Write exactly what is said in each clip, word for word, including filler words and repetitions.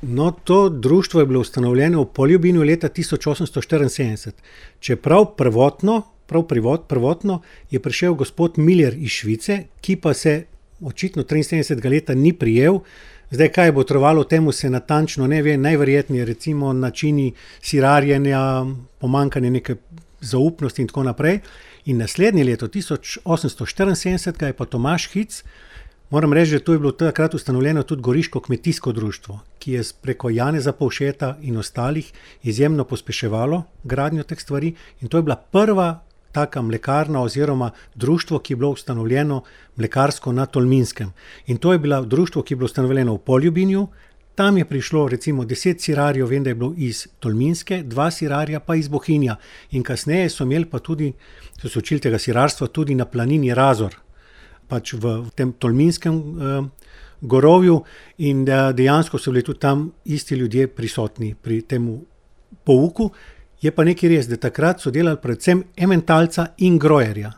No, to društvo je bilo ustanovljeno v Poljubinju leta tisoč osemsto štiriinsedemdeset. Čeprav prvotno, prav privot, prvotno je prišel gospod Miller iz Švice, ki pa se očitno triinsedemdesetega leta ni prijel. Zdaj, kaj bo trovalo temu, se natančno ne ve, najverjetneje recimo načini sirarjenja, pomanjkanje neke zaupnosti in tako naprej. In naslednje leto, tisoč osemsto štiriinsedemdeset, je pa Tomaž Hic, moram reči, da to je bilo takrat ustanovljeno tudi Goriško kmetijsko društvo, ki je preko Janeza Povšeta in ostalih izjemno pospeševalo gradnjo teh stvari, in to je bila prva taka mlekarna oziroma društvo, ki je bilo ustanovljeno mlekarsko na Tolminskem. In to je bilo društvo, ki je bilo ustanovljeno v Poljubinju. Tam je prišlo recimo deset sirarjev, vem, da je bilo iz Tolminske, dva sirarja pa iz Bohinja. In kasneje so imeli pa tudi, so se učili tega sirarstva tudi na planini Razor, pač v, v tem Tolminskem eh, gorovju, in da dejansko so bili tudi tam isti ljudje prisotni pri temu pouku. Je pa nekaj res, da takrat so delali predvsem ementalca in grojerja.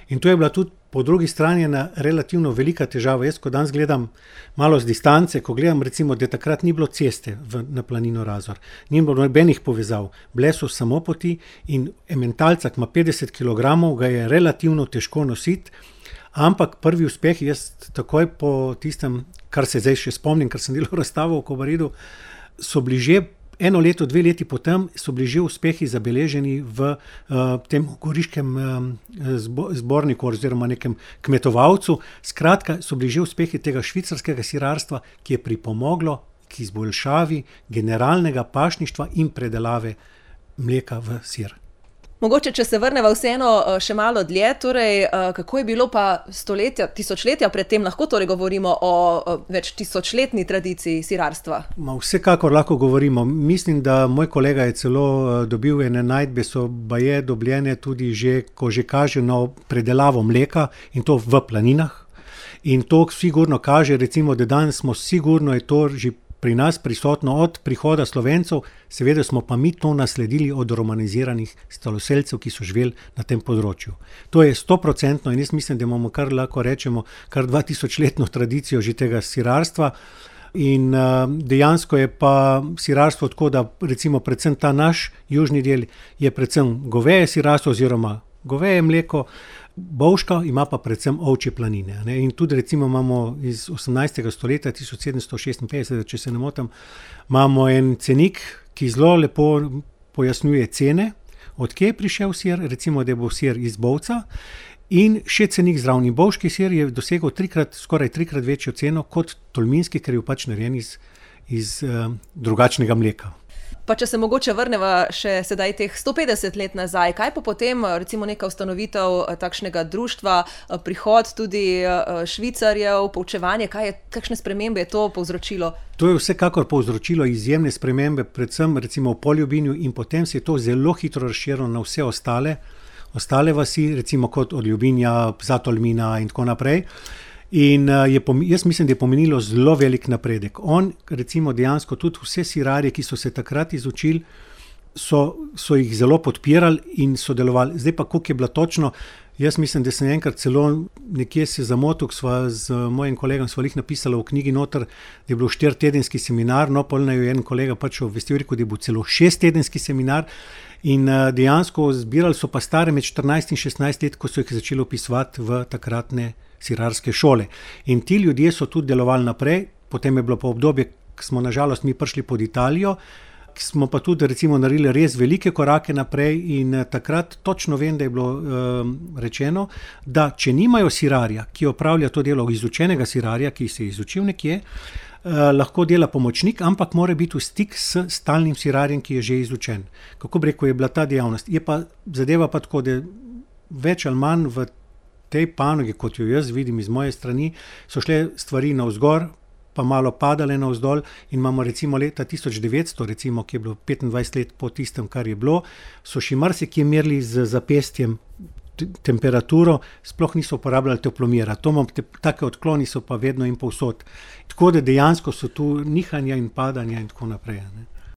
In to je bila tudi po drugi strani ena relativno velika težava. Jaz, ko danes gledam malo z distance, ko gledam recimo, da takrat ni bilo ceste v, na planino Razor, ni bilo nobenih povezav, bile so samo poti in ementalca, ki ima petdeset kilogramov, ga je relativno težko nositi, ampak prvi uspeh, jaz takoj po tistem, kar se zdaj še spomnim, ker sem delal razstavo v Kobaridu, so bili že eno leto, dve leti potem so bili že uspehi zabeleženi v uh, tem goriškem uh, zbo, zborniku oziroma nekem kmetovalcu. Skratka, so bili že uspehi tega švicarskega sirarstva, ki je pripomoglo k izboljšavi generalnega pašništva in predelave mleka v sir. Mogoče, če se vrneva vseeno še malo dlje, torej kako je bilo pa stoletja, tisočletja predtem, lahko torej govorimo o več tisočletni tradiciji sirarstva? Ma vsekakor lahko govorimo. Mislim, da moj kolega je celo dobil ene najdbe, so baje dobljene tudi že, ko že kaže na predelavo mleka in to v planinah. In to sigurno kaže, recimo, da danes smo sigurno je to že pri nas prisotno od prihoda Slovencev, seveda smo pa mi to nasledili od romaniziranih staloselcev, ki so živeli na tem področju. To je stoprocentno in jaz mislim, da imamo kar lahko rečemo kar dva tisočletno tradicijo že tega sirarstva. In uh, dejansko je pa sirarstvo tako, da recimo predvsem ta naš južni del je predvsem goveje sirarstvo oziroma goveje mleko, Bovška ima pa predvsem ovčje planine. Ne? In tudi recimo imamo iz osemnajstega stoletja, tisoč sedemsto šestinpetdeset, če se ne motim, imamo en cenik, ki zelo lepo pojasnjuje cene, od kje je prišel sir, recimo, da je bil sir iz Bovca, in še cenik zraven. Bovški sir je dosegel trikrat, skoraj trikrat večjo ceno kot tolminski, ker je pač narejen iz, iz uh, drugačnega mleka. Pa če se mogoče vrneva še sedaj teh sto petdeset let nazaj, kaj pa potem recimo neka ustanovitev takšnega društva, prihod tudi Švicarjev, poučevanje, kaj je, kakšne spremembe je to povzročilo? To je vsekakor povzročilo izjemne spremembe, predvsem recimo v Poljubinju, in potem se je to zelo hitro razširilo na vse ostale, ostale vasi, recimo kot od Ljubinja, Zatolmina in tako naprej. In je, jaz mislim, da je pomenilo zelo velik napredek. On, recimo dejansko tudi vse sirarje, ki so se takrat izučili, so, so jih zelo podpirali in sodelovali. Zdaj pa, koliko je bilo točno, jaz mislim, da sem enkrat celo nekje se zamotil, sva z mojim kolegom sva jih napisala v knjigi noter, da je bilo štiritedenski seminar, no polno je en kolega pač obvestil, rekel, da je bil celo šesttedenski seminar. In dejansko zbirali so pa stare med štirinajst in šestnajst let, ko so jih začeli opisovati v takratne sirarske šole. In ti ljudje so tudi delovali naprej, potem je bilo pa obdobje, ko smo nažalost mi prišli pod Italijo, smo pa tudi recimo naredili res velike korake naprej in takrat točno vem, da je bilo um, rečeno, da če nimajo sirarja, ki opravlja to delo izučenega sirarja, ki se je izučil nekje, uh, lahko dela pomočnik, ampak mora biti v stik s stalnim sirarjem, ki je že izučen. Kako bi rekel, je bila ta dejavnost. Je pa zadeva pa tako, da več ali manj v tej panogi, kot jo jaz vidim iz moje strani, so šle stvari navzgor, pa malo padale navzdol in imamo recimo leta tisoč devetsto, recimo, ki je bilo petindvajset let po tistem, kar je bilo, so še marsikje merili z zapestjem temperaturo, sploh niso uporabljali toplomera. To imam, te, take odkloni so pa vedno in povsod. Tako da dejansko so tu nihanja in padanja in tako naprej. Ne?